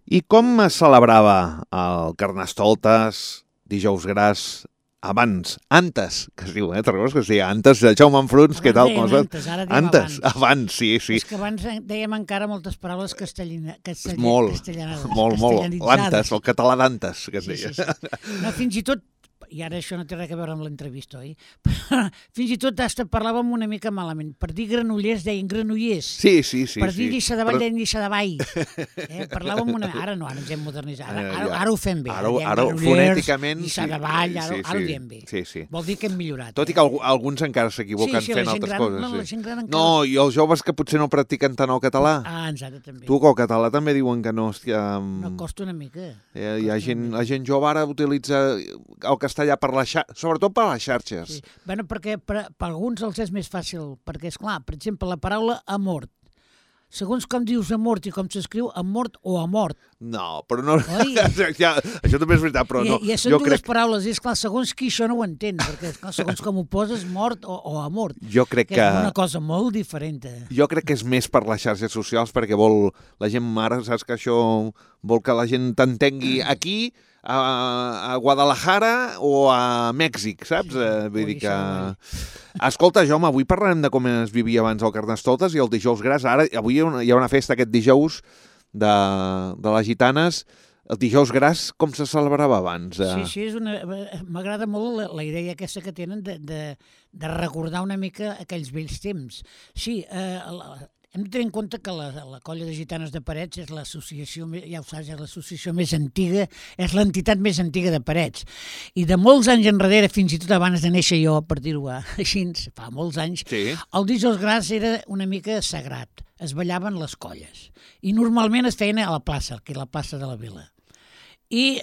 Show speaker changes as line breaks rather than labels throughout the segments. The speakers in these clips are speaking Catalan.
I com es celebrava el Carnestoltes, Dijous Gras, abans, antes, que es diu, te'n recordes que es deia antes, Jaume Enfruns, què tal?
Antes, ara diem
Antes, abans, sí.
És que abans dèiem encara moltes paraules castellanitzades.
Molt, l'antes, el català d'antes, que es deia.
No, fins i tot, i ara això no té res a veure amb l'entrevista, oi? Fins i tot hasta parlàvem una mica malament. Per dir Granollers deien Granollers.
Sí.
Per dir Lliça de Vall deien Lliça de Vall. Parlàvem una... Ara no, ara ens hem modernitzat. Ara ho fem bé.
Ara fonèticament...
Lliça de Vall, ara ho diem bé.
Sí.
Vol dir que hem millorat.
Tot i que alguns encara s'equivoquen fent altres coses. No, i els joves que potser no practiquen tant el català.
Exacte, també.
Tu, que el català també diuen que no, hòstia...
No, costa una mica.
La gent jove ara utilitza el castellà sobretot per les xarxes.
Sí. Bueno, perquè per alguns els és més fàcil, perquè, esclar, per exemple, la paraula amort. Segons com dius amort i com s'escriu, amort o amort.
No, però no... Ja, això també és veritat, però no.
I són dues paraules, i esclar, segons qui això no ho entén, perquè esclar, segons com ho poses, mort o amort.
Jo crec que...
És una cosa molt diferent.
Jo crec que és més per les xarxes socials, perquè la gent ara, saps que això vol que la gent t'entengui aquí, a Guadalajara o a Mèxic, saps? Vull dir que... Escolta, Jaume, avui parlarem de com es vivia abans el Carnestoltes i el Dijous Gras. Avui hi ha una festa aquest dijous de les gitanes. El Dijous Gras, com se celebrava abans?
Sí, m'agrada molt la idea aquesta que tenen de recordar una mica aquells vells temps. Sí, hem de tenir en compte que la colla de gitanes de Parets és l'associació, ja ho saps, és l'associació més antiga, és l'entitat més antiga de Parets. I de molts anys enrere, fins i tot abans de néixer jo, per dir-ho així, fa molts anys, el Dijous Gras era una mica sagrat. Es ballaven les colles. I normalment es feien a la plaça, que és la plaça de la Vila. I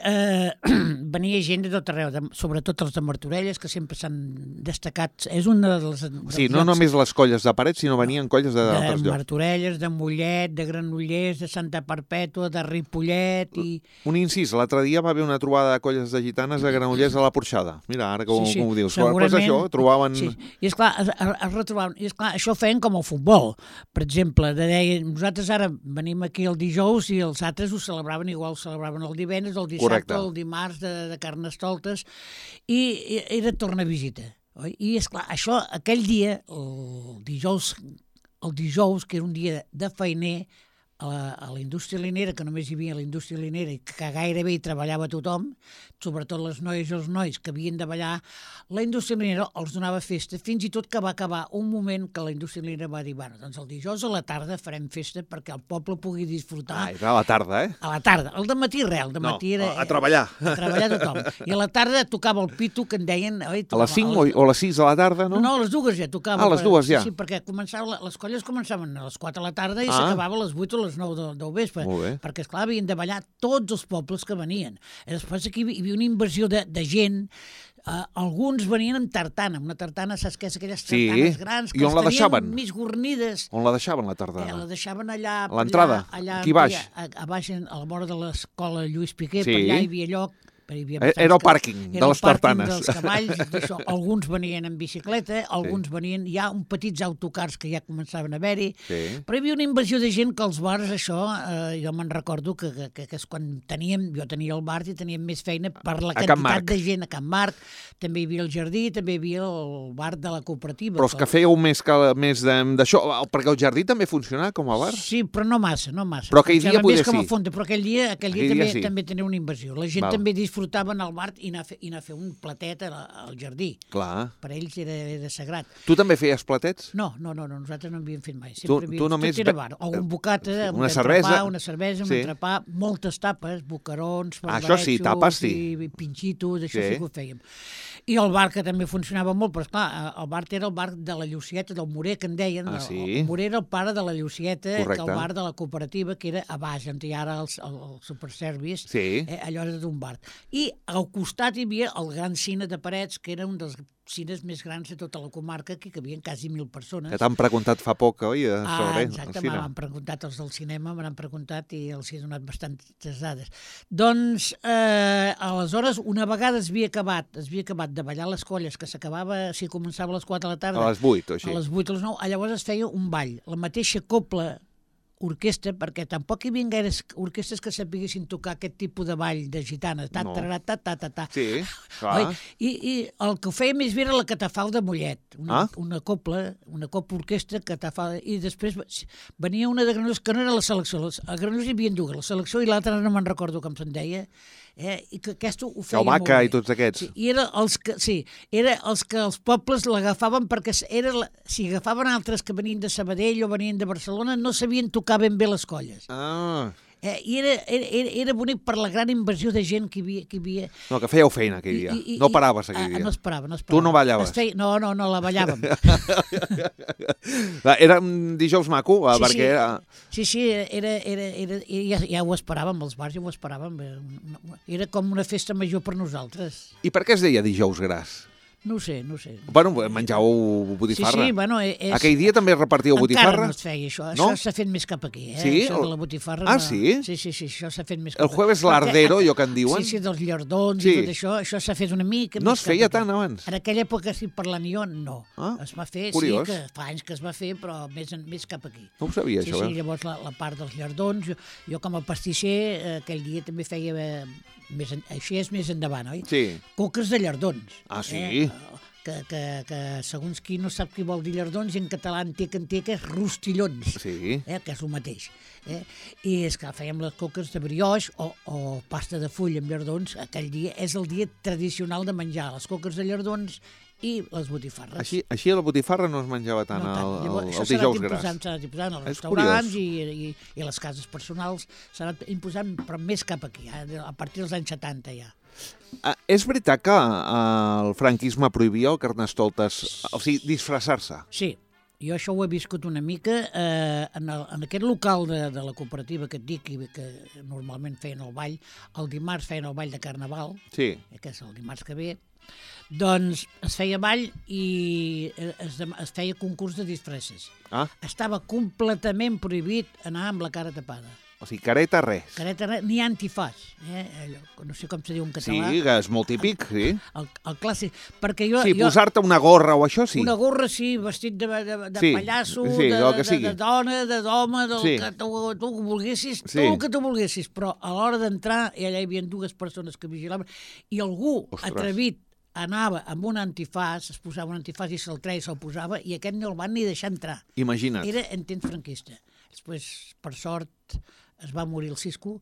venia gent de tot arreu, sobretot els de Martorelles, que sempre s'han destacat. És una de les...
Sí, no només les colles de Parets, sinó venien colles d'altres llocs.
De Martorelles, de Mollet, de Granollers, de Santa Perpètua, de Ripollet i...
Un incís, l'altre dia va haver una trobada de colles de gitanes a Granollers a la Porxada. Mira, ara com ho dius. Pues això, trobaven...
Sí, i esclar, es retrobaven. I esclar, això feien com el futbol. Per exemple, nosaltres ara venim aquí el dijous i els altres ho celebraven igual, ho celebraven el divendres, el dissabte, el dimarts de Carnestoltes, i era tornavisita. I, esclar, això, aquell dia, el dijous, que era un dia de feiner, a la indústria linera, que només hi havia la indústria linera i que gairebé hi treballava tothom, sobretot les noies i els nois que havien de ballar, la indústria linera els donava festa, fins i tot que va acabar un moment que la indústria linera va dir, bueno, doncs el dijous a la tarda farem festa perquè el poble pugui disfrutar.
Era a la tarda,
A la tarda. El dematí res, el dematí era...
a treballar.
A treballar tothom. I a la tarda tocava el pitu, que en deien...
A les 5 o a les 6 de la tarda, no?
No, a les 2 ja tocava.
A les 2 ja.
Sí, perquè les colles començaven a les 4 de la tarda i s'acabava a les 8 o les 9 del vespre. Perquè, esclar, havien de ballar tots els pobles que venien. I després aquí hi havia una invasió de gent. Alguns venien amb tartana. Una tartana, saps què és? Aquelles tartanes grans que
les tenien
mig guarnides.
On la deixaven, la tardana?
La deixaven allà...
A l'entrada? Aquí baix?
A baix, a la vora de l'escola Lluís Piqué, per allà hi havia lloc.
Era el pàrquing de les tartanes.
Era el pàrquing dels cavalls, d'això. Alguns venien en bicicleta, alguns venien... Hi ha petits autocars que ja començaven a haver-hi, però hi havia una invasió de gent que els bars, això, jo me'n recordo que és quan jo tenia el bar i teníem més feina per la quantitat de gent a Can Marc, també hi havia el jardí, també hi havia el bar de la cooperativa.
Però és que fèieu més d'això, perquè el jardí també funcionava com a bar?
Sí, però no massa. Però
aquell dia poder sí.
Però aquell dia també tenia una invasió. La gent també disfrutaven al bar i anar a fer un platet al jardí.
Clar.
Per ells era sagrat.
Tu també feies platets?
No, nosaltres no havíem fet mai.
Tu només...
Tot era bar. Algun bocata,
una cervesa,
un entrepà, moltes tapes, bocarons,
això sí, tapes sí.
I pinxitos, això sí que ho fèiem. I el bar, que també funcionava molt, però esclar, el bar era el bar de la Llucieta, del Morer, que en deien. El Morer era el pare de la Llucieta, que el bar de la cooperativa, que era a baix, on hi ha ara el superservice, allò era d'un bar. I al costat hi havia el gran cine de Parets, que era un dels cines més grans de tota la comarca, que cabien quasi 1.000 persones.
Que t'han preguntat fa poc, oi?
Exacte, m'han preguntat els del cinema, m'han preguntat i els he donat bastantes dades. Doncs, aleshores, una vegada es havia acabat de ballar les colles, que s'acabava, si començava a les 4 de la tarda...
A les 8 o així.
A les 8 o les 9, llavors es feia un ball. La mateixa copla orquestra, perquè tampoc hi havia gaires orquestres que sapiguessin tocar aquest tipus de ball de gitana.
Sí, clar.
I el que ho feia més bé era la catafal de Mollet, una copla orquestra catafal, i després venia una de Granollers, que no era la selecció, a Granollers hi havia dues, la selecció i l'altra no me'n recordo com se'n deia, i que aquesta ho feia molt bé.
I tots aquests.
Sí, i era els que els pobles l'agafaven perquè si agafaven altres que venien de Sabadell o venien de Barcelona no sabien tocar ben bé les colles. I era bonic per la gran invasió de gent que hi havia.
No, que fèieu feina aquell dia. No paraves aquell dia.
No es parava.
Tu no ballaves?
No, la ballàvem.
Era un dijous maco, perquè...
Sí, ja ho esperàvem, els bars ja ho esperàvem. Era com una festa major per nosaltres.
I per què es deia dijous gras?
No ho sé.
Bueno, menjàveu botifarra.
Sí, bueno...
Aquell dia també repartíeu botifarra?
Encara no es feia això. Això s'ha fet més cap aquí,
Sí?
Això de la botifarra.
Sí?
Sí, això s'ha fet més cap aquí.
El jueves lardero, allò que en diuen?
Sí, dels llardons i tot això s'ha fet una mica més cap aquí.
No es feia tant abans?
En aquella època, si parlant jo, no. Es va fer,
curiós.
Sí, que fa anys que es va fer, però més cap aquí.
No ho sabia, això.
Sí, llavors la part dels llardons, jo com a pastisser, aquell dia també feia... Així és més endavant, oi?
Sí.
Coques de llardons.
Sí?
Que segons qui no sap què vol dir llardons, i en català anteca és rostillons,
sí.
Que és el mateix. I és que fèiem les coques de brioix o pasta de full amb llardons. Aquell dia és el dia tradicional de menjar les coques de llardons i les botifarres.
Així la botifarra no es menjava tant el dijous gras.
S'ha anat imposant als restaurants i les cases personals, s'ha anat imposant, però més cap aquí, a partir dels anys 70 ja.
És veritat que el franquisme prohibia el carnestoltes, o sigui, disfressar-se?
Sí, jo això ho he viscut una mica en aquest local de la cooperativa que et dic, que normalment feien el ball, el dimarts feien el ball de Carnaval, que és el dimarts que ve, doncs es feia ball i es feia concurs de disfresses. Estava completament prohibit anar amb la cara tapada.
O sigui, careta res.
Careta res, ni antifàs. No sé com se diu en català.
Sí, que és molt típic, sí.
El clàssic. Perquè jo...
Sí, posar-te una gorra o això, sí.
Una gorra, sí, vestit de pallasso, de dona, d'home, del que tu volguessis, el que tu volguessis. Però a l'hora d'entrar, allà hi havia dues persones que vigilaven, i algú atrevit anava amb un antifàs, es posava un antifàs i se'l treia i se'l posava, i aquest no el van ni deixar entrar.
Imagina't.
Era en temps franquista. Després, per sort, es va morir el Cisco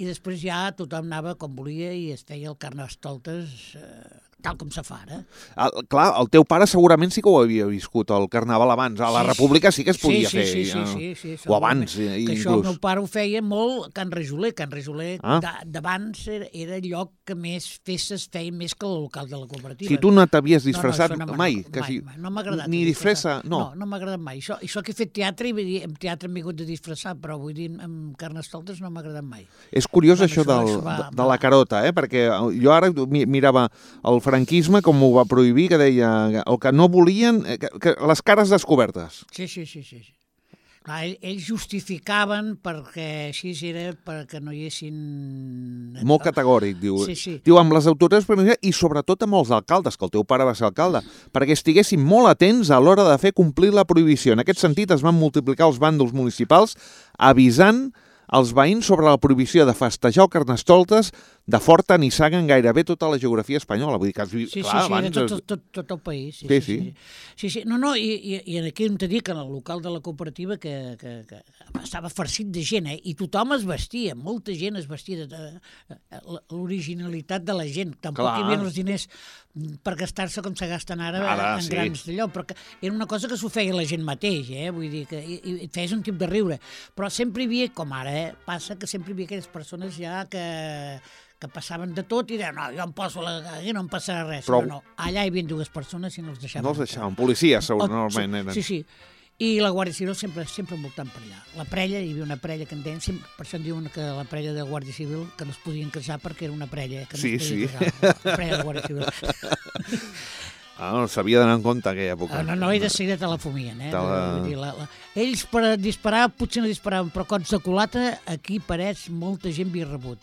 i després ja tothom anava com volia i es feia el carnestoltes tal com se fa ara.
Clar, el teu pare segurament sí que ho havia viscut, el Carnaval abans. A la República sí que es podia fer.
Sí.
O abans,
que
inclús.
Això el meu pare ho feia molt Can Rejoler. Can Rejoler d'abans era el lloc que més festes feia més que el local de la cooperativa.
Si tu no t'havies disfressat mai?
No m'ha agradat.
Ni disfressa? No,
no m'ha agradat mai. Això que he fet teatre, i en teatre m'he hagut de disfressar, però vull dir, amb carnestoltes no m'ha agradat mai.
És curiós això de la carota, perquè jo ara mirava el franquisme com ho va prohibir, que deia el que no volien, que les cares descobertes.
Sí. Clar, ells justificaven perquè així era perquè no hi haguessin...
Molt categòric, diu.
Sí.
Diu, amb les autoritats i sobretot amb els alcaldes, que el teu pare va ser alcalde, perquè estiguessin molt atents a l'hora de fer complir la prohibició. En aquest sentit es van multiplicar els bàndols municipals avisant els veïns sobre la prohibició de festejar o carnestoltes de Forta, Nissaga, en gairebé tota la geografia espanyola. Vull dir que
tot el país. Sí. No, i aquí hem de dir que en el local de la cooperativa que estava farcit de gent, i tothom es vestia, molta gent es vestia, l'originalitat de la gent. Tampoc hi havia els diners per gastar-se com se gasten ara en grans d'allò, però era una cosa que s'ho feia la gent mateix, vull dir, que et feies un tip de riure, però sempre hi havia, com ara, passa que sempre hi havia aquelles persones ja que passaven de tot i deien, no, jo em poso aquí, no em passarà res. Però no, allà hi havia dues persones i no els deixaven.
No els deixaven, policies normalment eren.
Sí. I la Guàrdia Civil sempre voltant per allà. La prella, hi havia una prella que en deien, per això en diuen que la prella de Guàrdia Civil, que no es podien casar perquè era una prella que no es podia casar. La prella de Guàrdia Civil.
S'havia d'anar en compte aquella època.
No, i de seguida te la fumien. Ells per disparar potser no disparaven, però cops de culata aquí pareix molta gent havia rebut.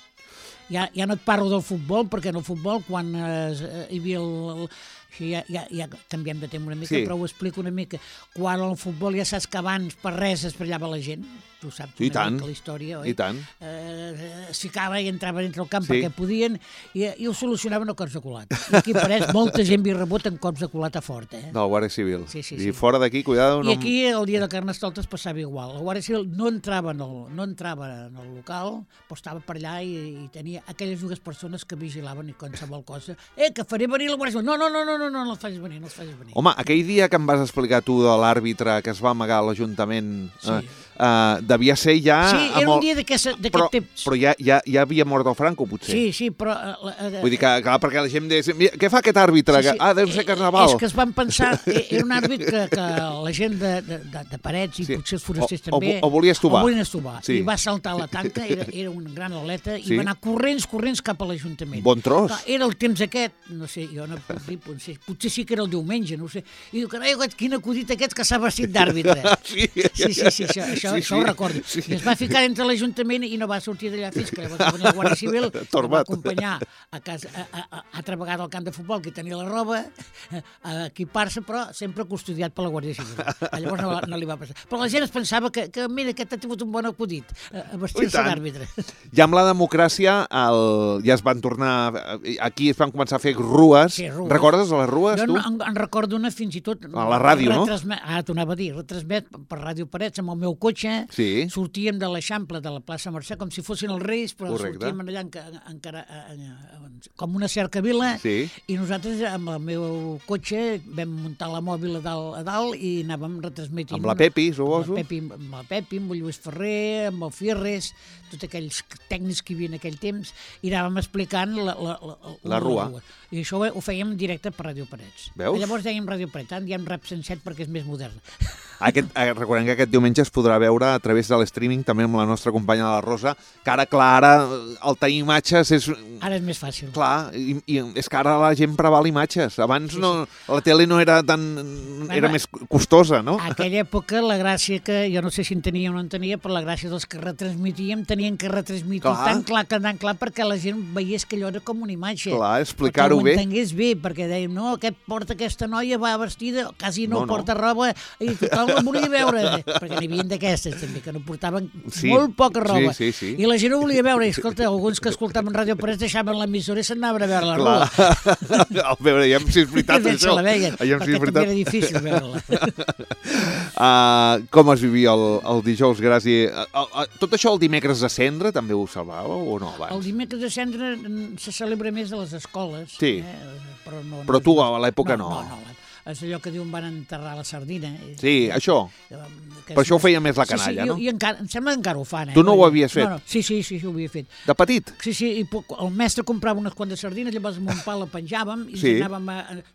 ja no et parlo del futbol, perquè en el futbol, quan hi havia ja canviem de tema una mica, però ho explico una mica. Quan al futbol ja saps que abans per res es ballava la gent, tu saps una mica la història, oi?
I tant.
Es ficava i entrava dintre el camp perquè podien i ho solucionaven a cops de culat. I aquí pareix molta gent havia rebut en cops de culat a fort,
Del Guàrdia Civil.
Sí.
I fora d'aquí, cuidado...
I aquí el dia de Carnestoltes passava igual. El Guàrdia Civil no entrava en el local, però estava per allà i tenia aquelles dues persones que vigilaven i qualsevol cosa. Que faré venir la Guàrdia Civil. No els facis venir,
Home, aquell dia que em vas explicar tu de l'àrbitre que es va amagar a l'Ajuntament, devia ser ja...
Sí, era un dia d'aquest temps.
Però ja havia mort el Franco, potser.
Sí, però...
Vull dir que, clar, perquè la gent deia, què fa aquest àrbitre? Deu ser Carnaval.
És que es van pensar, era un àrbitre que la gent de Parets i potser els forasters també...
O volia estovar.
I va saltar la tanca, era un gran atleta, i va anar corrents cap a l'Ajuntament.
Bon tros.
Era el temps aquest, no sé, jo no puc dir, potser sí que era el diumenge, no ho sé. I diu, carai, quin acudit aquest que s'ha vestit d'àrbitre. Sí, això ho recordo. I es va ficar entre l'Ajuntament i no va sortir d'allà fins que va venir el Guàrdia Civil, que va acompanyar a casa, altra vegada al camp de futbol, que tenia la roba, a equipar-se, però sempre custodiat per la Guàrdia Civil. Llavors no li va passar. Però la gent es pensava que mira, aquest ha tingut un bon acudit, a vestir-se d'àrbitre.
Ja amb la democràcia ja es van tornar... Aquí es van començar a fer rues. Recordes les rues, tu?
Jo en recordo una fins i tot...
A la ràdio, no?
T'ho anava a dir, retransmet per Ràdio Parets amb el meu cotxe, sortíem de l'Eixample, de la plaça Mercè, com si fossin els Reis, però sortíem allà encara com una cercavila, i nosaltres amb el meu cotxe vam muntar la mòbil a dalt i anàvem retransmetint...
Amb la Pepi, suposo?
Amb la Pepi, amb el Lluís Ferrer, amb el Fierres, tots aquells tècnics que hi havia en aquell temps, i anàvem explicant
la rua.
I això ho fèiem en directe per Ràdio Parets.
Veus?
Llavors dèiem Ràdio Parets, ara diem Rap 107 perquè és més modern.
Recordem que aquest diumenge es podrà veure a través de l'streaming, també amb la nostra companya la Rosa, que ara, clar, el tenir imatges és...
Ara és més fàcil.
Clar, i és que ara la gent preval imatges. Abans la tele no era tan... era més costosa, no?
A aquella època la gràcia que, jo no sé si en tenia o no en tenia, però la gràcia dels que retransmitíem tenien que retransmitir tan clar perquè la gent veiés que allò era com una imatge.
Clar, explicar-ho bé.
Que ho entengués bé, perquè dèiem, no, aquesta noia va vestida, quasi no porta roba, i tothom la volia veure, perquè n'hi havia d'aquestes també, que no portaven molt poca roba. I la gent ho volia veure, i escolta, alguns que escoltaven Ràdio Parets deixaven l'emissora i s'anaven a veure la roba.
A veure, ja si és veritat això.
Se la veien, perquè també era difícil veure-la.
Com es vivia el dijous, Gràcia? Tot això el dimecres de Cendra també ho salvàveu o no abans?
El dimecres de Cendra se celebra més a les escoles.
Sí, però tu a l'època no.
No, és allò que diuen van enterrar la sardina.
Sí, això. Per això ho feia més la canalla, no?
I encara, em sembla que encara ho fan.
Tu no ho havies fet?
No. Sí, ho havia fet.
De petit?
Sí, i el mestre comprava unes quantes sardines, llavors amb un pal la penjàvem i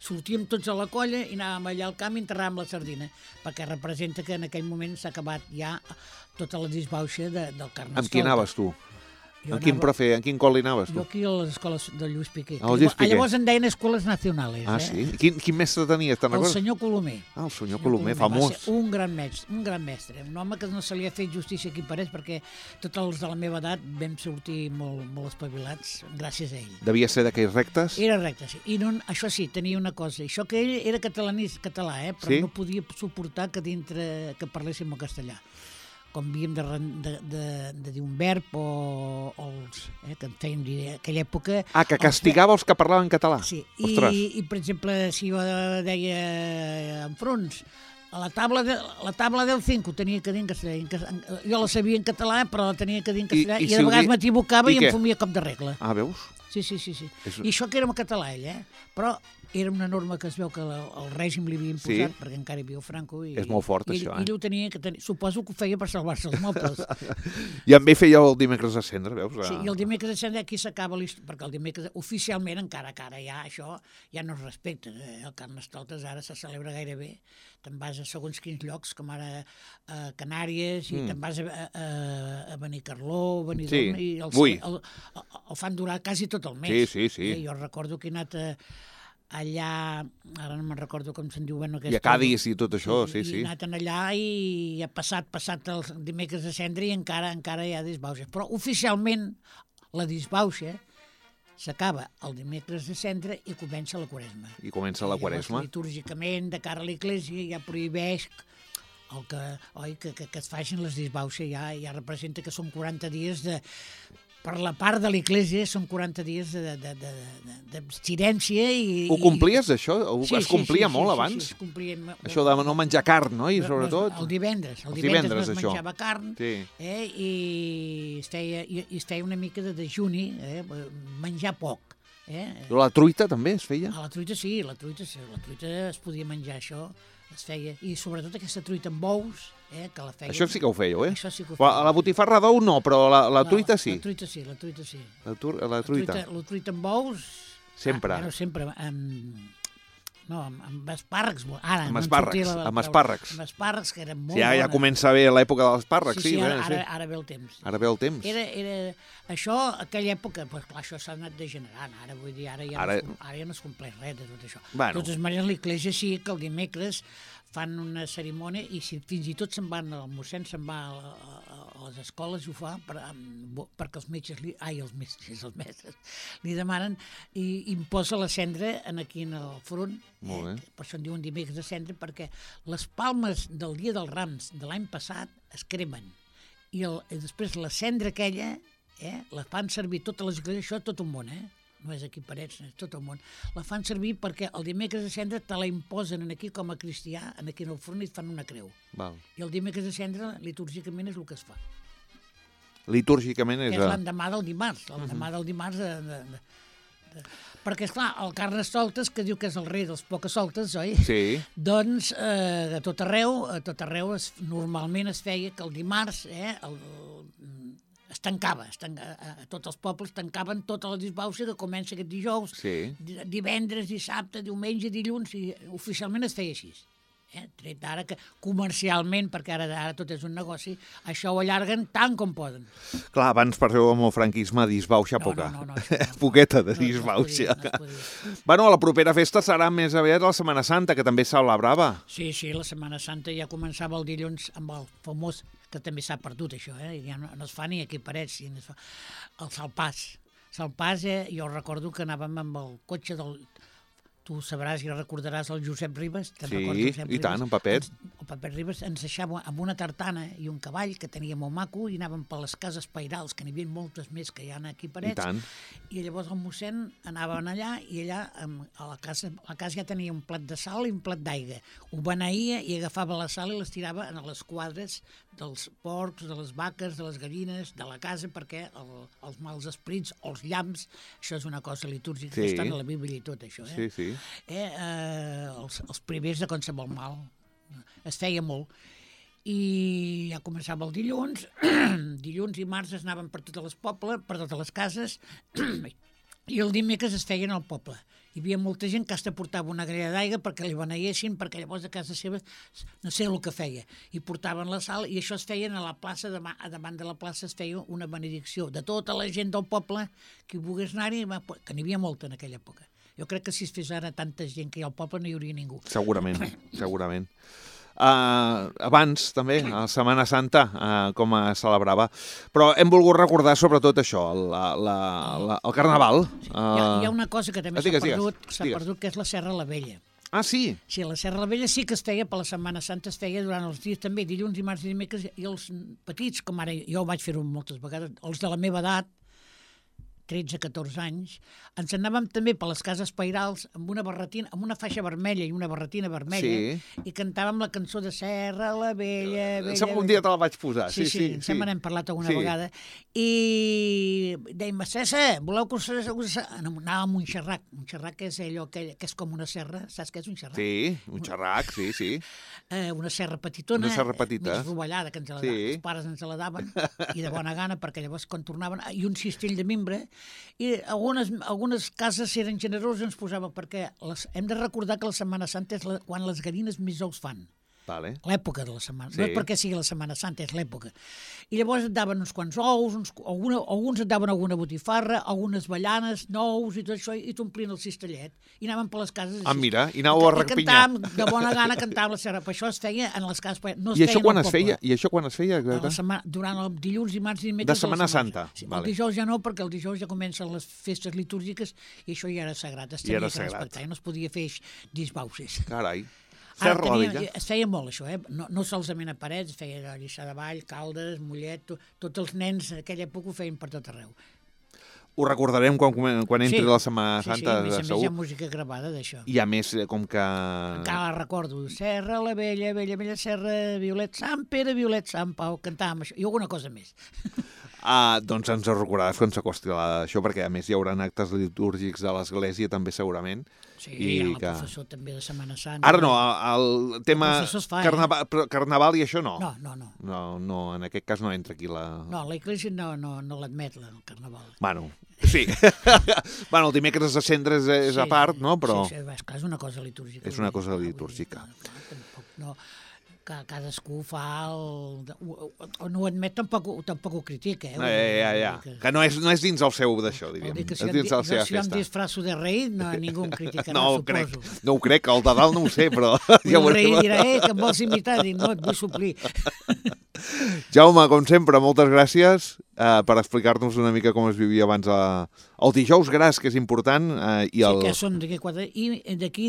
sortíem tots a la colla i anàvem allà al camp i enterràvem la sardina, perquè representa que en aquell moment s'ha acabat ja tota la disbauxa del Carnestoltes.
Amb qui anaves tu? En quin col·le anaves tu?
Jo aquí a les escoles del Lluís Piqué.
Llavors
en deien escoles nacionales.
Sí? Quin mestre tenies, te'n recordes?
El senyor Colomer.
El senyor Colomer, famós.
Va ser un gran mestre. Un home que no se li ha fet justícia aquí a Parets, perquè tots els de la meva edat vam sortir molt espavilats gràcies a ell.
Devia ser d'aquells rectes?
Era recte, sí. I això sí, tenia una cosa. Això que ell era català, però no podia suportar que parléssim el castellà. Com havíem de dir un verb o els que en feien dir en aquella època...
Que castigava els que parlaven català.
Sí, i per exemple, si jo deia enfront, la taula del 5 ho tenia que dir en castellà. Jo la sabia en català, però la tenia que dir en castellà, i de vegades m'equivocava i em fumia cop de regla.
Veus?
Sí. I això que era en català, ell, però era una norma que es veu que el règim li havia imposat, perquè encara hi havia el Franco.
És molt fort, això,
Ell ho tenia que tenir. Suposo que ho feia per salvar-se els mobles.
I amb ell feia el dimecres de Cendra, veus?
Sí, i el dimecres de Cendra aquí s'acaba l'història, perquè el dimecres, oficialment, encara que ara ja això ja no es respecta. El Carnestoltes ara se celebra gairebé. Te'n vas a segons quins llocs, com ara a Canàries, i te'n vas a Benicarló, Benidorm, i el fan durar quasi tot el mes.
Sí.
Jo recordo que he anat allà, ara no me'n recordo com se'n diu,
i a Cadis i tot això, sí.
I he anat allà i ha passat el dimecres de Cendra i encara hi ha disbauses. Però oficialment La disbauxa s'acaba el dimecres de Cendra i comença la Quaresma.
I comença la Quaresma.
Litúrgicament, de cara a l'Església, ja prohibeix que es facin les disbauxes, ja representa que són 40 dies de... Per la part de l'Església són 40 dies d'abstinència i...
Ho complies, això? Es complia molt abans?
Sí, es complia molt.
Això de no menjar carn, no? I sobretot...
El divendres no es menjava carn i es feia una mica de dejuni, menjar poc.
La truita també es feia?
La truita sí, la truita es podia menjar, això es feia. I sobretot aquesta truita amb bous, que la feia...
Això sí que ho fèieu,
Això sí que ho feia.
La botifarra d'ou no, però la truita sí.
La truita sí. La truita.
La truita
amb bous...
Sempre.
Sempre, amb espàrrecs.
Amb espàrrecs. Amb
espàrrecs, que eren molt
bones. Ja comença bé l'època dels espàrrecs, sí.
Ara ve el temps.
Ara ve el temps.
Això, aquella època, doncs clar, això s'ha anat degenerant. Ara, vull dir, ara ja no es compleix res de tot això. De totes maneres, l'Església sí que el dimecres fan una cerimònia i fins i tot el mossèn se'n va a les escoles i ho fa perquè els mestres li demanen i imposa la cendra aquí en el front. Per això en diuen dimecres de cendra, perquè les palmes del dia dels Rams de l'any passat es cremen i després la cendra aquella la fan servir totes les esglésies, això tot un món, no és aquí Parets, és tot el món. La fan servir perquè el dimecres de cendra te la imposen aquí com a cristià, aquí en el front, i et fan una creu. I el dimecres de cendra, litúrgicament, és el que es fa.
Litúrgicament és...
És l'endemà del dimarts. L'endemà del dimarts perquè, esclar, el Carnestoltes, que diu que és el rei dels pocasoltes, oi?
Sí.
Doncs a tot arreu normalment es feia que el dimarts es tancava, tots els pobles tancaven tota la disbauxa que comença aquest dijous, divendres, dissabte, diumenge, dilluns, i oficialment es feia així. Tret ara que comercialment, perquè ara tot és un negoci, això ho allarguen tant com poden.
Clar, abans per amb el franquisme disbauxa poca.
No.
Poqueta de disbauxa. Bueno, la propera festa serà més aviat la Setmana Santa, que també se celebrava.
Sí, la Setmana Santa ja començava el dilluns amb el famós, que també s'ha perdut això, ja no es fa ni aquí a Parets, el salpàs. Salpàs, jo recordo que anàvem amb el cotxe del... Tu sabràs i recordaràs el Josep Ribes.
Sí, i tant, en Pepet.
El Pepet Ribes ens deixava amb una tartana i un cavall que tenia molt maco i anàvem per les cases pairals, que n'hi havia moltes més que hi ha aquí a Parets.
I tant.
I llavors el mossèn anaven allà i allà a la casa ja tenia un plat de sal i un plat d'aigua. Ho beneïa i agafava la sal i les tirava en les quadres dels porcs, de les vaques, de les gallines, de la casa, perquè els mals esprits o els llamps, això és una cosa litúrgica que està a la Bíblia i tot això.
Sí.
Els primers de qualsevol mal. Es feia molt. I ja començava el dilluns. Dilluns i març es anaven per totes les cases, i el dimecres es feien al poble. Hi havia molta gent que hasta portava una grella d'aigua perquè li beneïessin, perquè llavors a casa seva no sé el que feia. I portaven la sal i això es feien a la plaça, davant de la plaça es feia una benedicció de tota la gent del poble que volgués anar-hi, que n'hi havia molta en aquella època. Jo crec que si es fes ara tanta gent que hi ha al poble no hi hauria ningú.
Segurament. Abans, també, a Setmana Santa, com es celebrava. Però hem volgut recordar sobretot això, el Carnaval.
Hi ha una cosa que també s'ha perdut, que és la Serra la Vella.
Ah, sí?
Sí, la Serra la Vella sí que es feia per la Setmana Santa, es feia durant els dies també, dilluns, dimarts i dimecres, i els petits, com ara jo vaig fer-ho moltes vegades, els de la meva edat, 13-14 anys, ens anàvem també per les cases pairals amb una barretina, amb una faixa vermella i una barretina vermella, i cantàvem la cançó de Serra la Vella.
Un dia te la vaig posar. Sí.
Sembla n'hem parlat alguna vegada. I dèiem, César, voleu que us... Anàvem a Montxerrac. Montxerrac és allò que és com una serra. Saps què és un xerrac?
Sí, un xerrac, sí.
Una serra petitona, més rovellada, que els pares ens la daven, i de bona gana, perquè llavors quan tornaven, i un cistell de mimbre, i algunes cases, si eren generoses, ens posava, perquè hem de recordar que la Setmana Santa és quan les gallines més ous fan.
Vale.
L'època de la setmana.
Sí.
No és perquè sigui la Setmana Santa, és l'època. I llavors et daven uns quants ous, alguns et daven alguna botifarra, algunes avellanes, nous i tot això, i t'omplien el cistellet. I anaven per les cases així.
Mira, i anàveu a repinyar.
I cantàvem, de bona gana cantàvem la serra. Per això es feia en les cases. No es
I això
feia
quan
en el
es feia?
poble.
I això quan es feia?
Durant el dilluns, dimarts i dimecres.
De Setmana Santa.
Sí,
Vale.
el dijous ja no, perquè el dijous ja comencen les festes litúrgiques i això ja era sagrat. Es tenia que respectar. I no es podia fer disbauxes.
Carai.
Es feia molt, això, no solament a Parets, es feia a Lliçà de Vall, Caldes, Mollet, tots els nens en aquella època ho feien per tot arreu.
Ho recordarem quan entri la Setmana Santa,
segur. Sí, a més hi ha
segur.
música gravada d'això.
I a més, com que...
Encara la recordo. Serra, la vella, vella, vella serra, Violet, Sant Pere, Violet, Sant Pau, cantàvem això. I alguna cosa més.
Doncs ens ho recordaràs quan s'acosti això, perquè a més hi haurà actes litúrgics de l'Església també segurament.
Sí, hi ha el professor també de Setmana Santa.
Ara no, el tema carnaval i això no.
No,
en aquest cas no entra aquí la...
No, l'Església no l'admet, el carnaval.
Bueno, sí. Bueno, el dimecres de Cendres és a part, no? Però...
Sí, és una cosa litúrgica.
És una cosa litúrgica.
No, que cadascú fa o no ho admet, tampoc ho critica.
Ja. Que no és dins el seu d'això, diríem. És dins de la seva festa.
Si jo em disfraço de rei, ningú em criticarà, suposo.
No ho crec, el de dalt no ho sé, però...
El rei dirà, que em vols imitar? Dic, no, et vull suplir.
Jaume, com sempre, moltes gràcies per explicar-nos una mica com es vivia abans el dijous gras, que és important.
Sí, que són d'aquí 4... I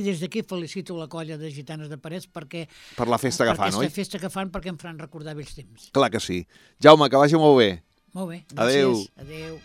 des d'aquí felicito la colla de gitanes de Parets perquè...
Per la festa que fan, oi?
Per aquesta festa que fan, perquè em faran recordar vells temps.
Clar que sí. Jaume, que vagi molt bé.
Molt bé, gràcies.
Adéu.
Adéu.